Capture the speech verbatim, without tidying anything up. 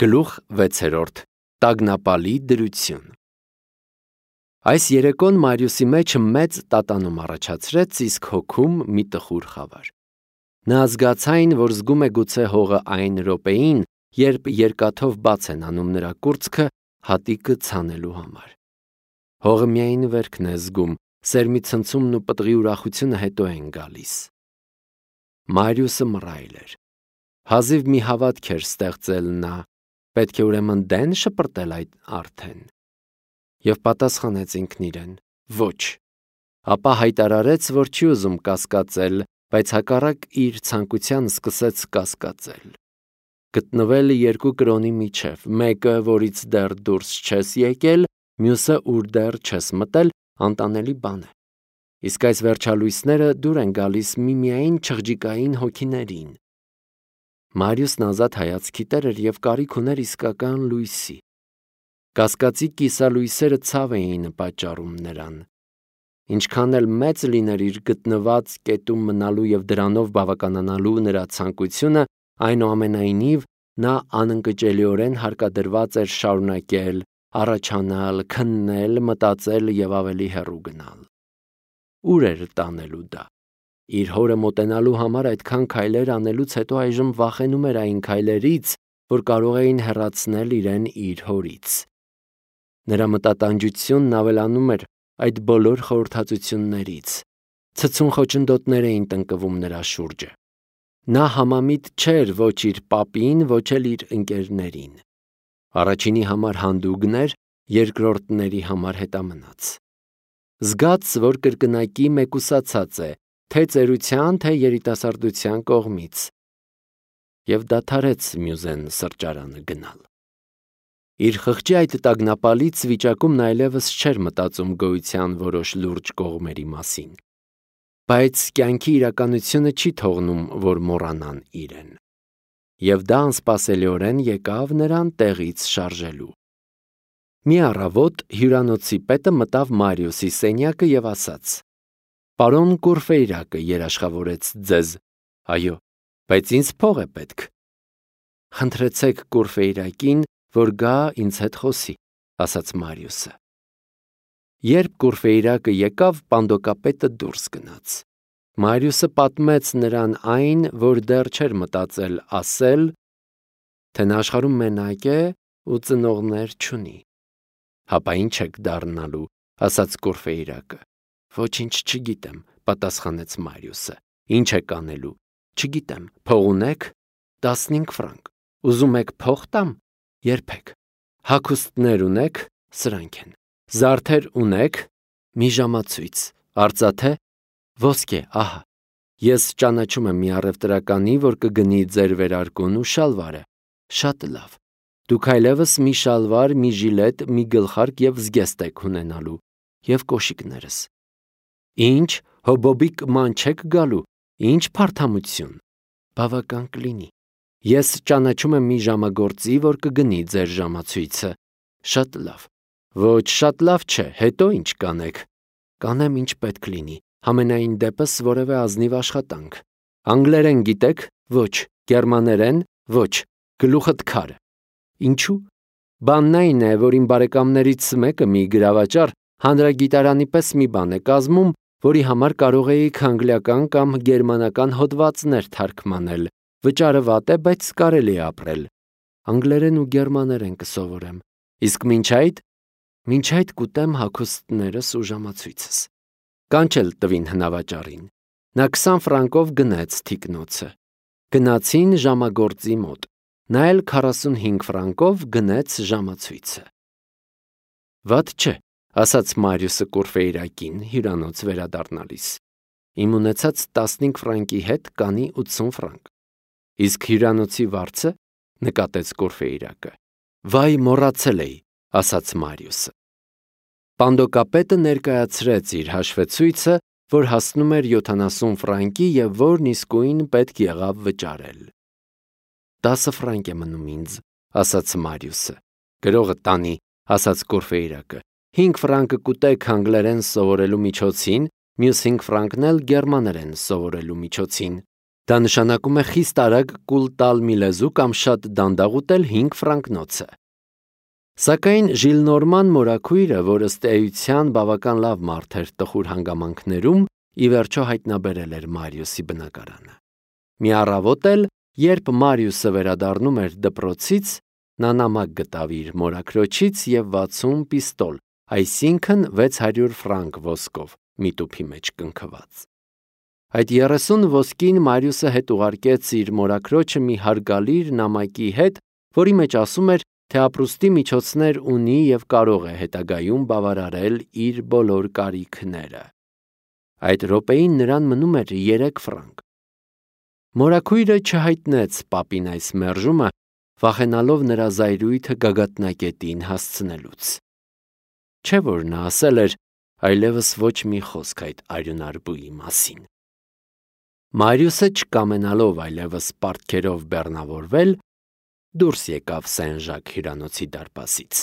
Գլուխ վեցերորդ. Տագնապալի դրություն։ Այս երեկոն Մարիուսի մեջ մեծ տատանում առաջացրեց, իսկ հոգում մի տխուր խավար։ Նա զգացայն, որ զգում է գուցե հողը այն րոպեին, երբ երկաթով բաց են անում նրա կուրծքը հատիկը ցանելու համար։ Հողը միայն վերքն է զգում, սերմի ցնցումն ու պտղի ուրախությունը հետո են գալիս։ Մարիուսը մռայլ էր։ Հազիվ մի հավատք էր ստեղծել նա, պետք է ուրեմն դեն շպրտել այդ արդեն։ Եվ պատասխանեց ինքն իրեն. ոչ, ապա հայտարարեց, որ չի ուզում կասկածել, բայց հակառակ իր ցանկության սկսեց կասկածել։ Գտնվել երկու կրոնի միջև, մեկը, որից դեռ դուրս չես եկել, մյուսը, ուր դեռ չես մտել, անտանելի բան է։ Իսկ այս վերջալույսները դուր են գալիս միմիայն չղջիկային հոգիներին։ Մարիուսն ազատ հայացքի տեր էր և կարիք ուներ իսկական լույսի։ Կասկածի կիսալույսերը ցավ էին պատճառում նրան։ Ինչքան էլ մեծ լիներ իր գտնված կետում մնալու և դրանով բավականանալու նրա ցանկությունը, այնուամենայնիվ նա անընկճելիորեն հարկադրված էր շարունակել, առաջանալ, քննել, մտածել և ավելի հեռու գնալ։ Ուր էր տանելու դա։ Իր հորը մոտենալու համար այդքան քայլեր անելուց հետո այժմ վախենում էր այն քայլերից, որ կարող էին հեռացնել իրեն իր հորից։ Նրա մտատանջությունն ավելանում էր այդ բոլոր խորհրդածություններից։ Ցցուն խոչընդոտներ էին տնկվում նրա շուրջը։ Նա համամիտ չէր ոչ իր պապին, ոչ էլ իր ընկերներին։ Առաջինի համար հանդուգն էր, երկրորդների համար հետամնաց։ Զգաց, որ կրկնակի մեկուսացած է, թե ծերության, թե երիտասարդության կողմից, և դադարեց Մյուզեն սրճարանը գնալ։ Իր խղճի այդ տագնապալից վիճակում նա այլևս չէր մտածում գոյության որոշ լուրջ կողմերի մասին, բայց կյանքի իրականությունը չի թողնում, որ մոռանան իրեն։ Եվ դա անսպասելիորեն եկավ նրան տեղից շարժելու։ Մի առավոտ հյուրանոցի պետը մտավ Մարիուսի սենյակը և ասաց. «Պարոն Կուրֆեյրակը երաշխավորեց ձեզ»։ «Այո, բայց ինձ փող է պետք»։ «Խնդրեցեք Կուրֆեյրակին, որ գա ինձ հետ խոսի», ասաց Մարիուսը։ Երբ Կուրֆեյրակը եկավ, պանդոկապետը դուրս գնաց։ Մարիուսը պատմեց նրան այն, որ դեռ չէր մտածել ասել, թե նա աշխարհում մենակ է ու ծնողներ չունի։ «Հապա ի՞նչ եք դառնալու», ասաց Կուրֆեյրակը։ «Ոչինչ չգիտեմ», պատասխանեց Մարիուսը։ «Ինչ եք անելու»։ «Չգիտեմ, փող ունե՞ք»։ «Տասնհինգ ֆրանկ»։ «Ուզում եք փող տամ»։ «Երբեք»։ «Հագուստներ ունե՞ք»։ «Սրանք են»։ «Զարդեր ունե՞ք»։ «Մի ժամացույց»։ «Արծաթե»։ «Ոսկե, ահա»։ «Ես ճանաչում եմ մի առևտրականի, որ կգնի ձեր վերարկուն ու շալվարը»։ «Շատ լավ։ Դուք այլևս մի շալվար, մի ժիլետ, մի գլխարկ և զգեստ եք ունենալու։ Եվ կոշիկներս»։ «Ինչ, հոբոբիկ ման չեք գալու։ Ինչ փարթամություն»։ «Բավական կլինի։ Ես ճանաչում եմ մի ժամագործի, որ կգնի ձեր ժամացույցը»։ «Շատ լավ։ Ոչ, շատ լավ չէ, հետո ինչ կանեք»։ «Կանեմ, ինչ պետք լինի, համենայն դեպս որևէ ազնիվ աշխատանք»։ «Անգլերեն գիտեք»։ «Ոչ»։ «Գերմաներեն»։ «Ոչ»։ «Գլուխդ քար»։ «Ինչու»։ «Բանն այն է, որ իմ բարեկամներից մեկը մի գրավաճառ հանրագիտարանի պես մի բան է կազմում, որի համար կարող էիք անգլիական կամ գերմանական հոդվածներ թարգմանել։ Վճարը վատ է, բայց կարելի է ապրել»։ «Անգլերեն ու գերմաներեն կսովորեմ։ Իսկ մինչ այդ»։ «Մինչ այդ կուտեմ հագուստներս ու ժամացույցս»։ Կանչել տվին հնավաճառին։ Նա քսան ֆրանկով գնեց թիկնոցը։ Գնացին ժամագործի մոտ։ Նա էլ քառասունհինգ ֆրանկով գնեց ժամացույցը։ «Վատ չէ», ասաց Մարիուսը Կուրֆեյրակին հյուրանոց վերադառնալիս։ «Իմ ունեցած տասնհինգ ֆրանկի հետ կանի ութսուն ֆրանկ»։ «Իսկ հյուրանոցի վարձը»։ նկատեց Կուրֆեյրակը։ «Վայ, մոռացել էի», ասաց Մարիուսը։ Պանդոկապետը ներկայացրեց իր հաշվեցույցը, որ հասնում էր յոթանասուն ֆրանկի և որն իսկույն պետք եղավ վճարել։ «Տասը ֆրանկ է մնում ինձ», ասաց Մարիուսը։ «Գրողը տանի», ասաց Կուրֆեյրակը։ «Հինգ ֆրանկը կուտեք անգլերեն սովորելու միջոցին, մյուս հինգ ֆրանկն էլ գերմաներեն սովորելու միջոցին»։ Դա նշանակում է խիստ արագ կուլ տալ մի լեզու կամ շատ դանդաղ ուտել հինգ ֆրանկնոցը։ Սակայն Ժիլնորման մորաքույրը, որ ըստ էության բավական լավ մարդ էր տխուր հանգամանքներում, ի վերջո հայտնաբերել էր Մարիուսի բնակարանը։ Մի առավոտ էլ, երբ Մարիուսը վերադառնում էր դպրոցից, նա նամակ գտավ իր մորաքրոջից և վաթսուն պիստոլ, այսինքն վեց հարյուր ֆրանկ ոսկով մի տուփի մեջ կնքված։ Այդ երեսուն ոսկին Մարիուսը հետ ուղարկեց իր մորաքրոջը մի հարգալիր նամակի հետ, որի մեջ ասում էր, թե ապրուստի միջոցներ ունի և կարող է հետագայում բավարարել իր բոլոր կարիքները։ Այդ րոպեին նրան մնում էր երեք ֆրանկ։ Մորաքույրը չհայտնեց պապին այս մերժումը, վախենալով նրա զայրույթը գագաթնակետին հասցնելուց։ Չէ՞ որ նա ասել էր այլևս ոչ մի խոսք այդ արյունարբուի մասին։ Մարիուսը, չկամենալով այլևս պարտքերով բեռնավորվել, դուրս եկավ Սեն Ժակ հյուրանոցի դարպասից։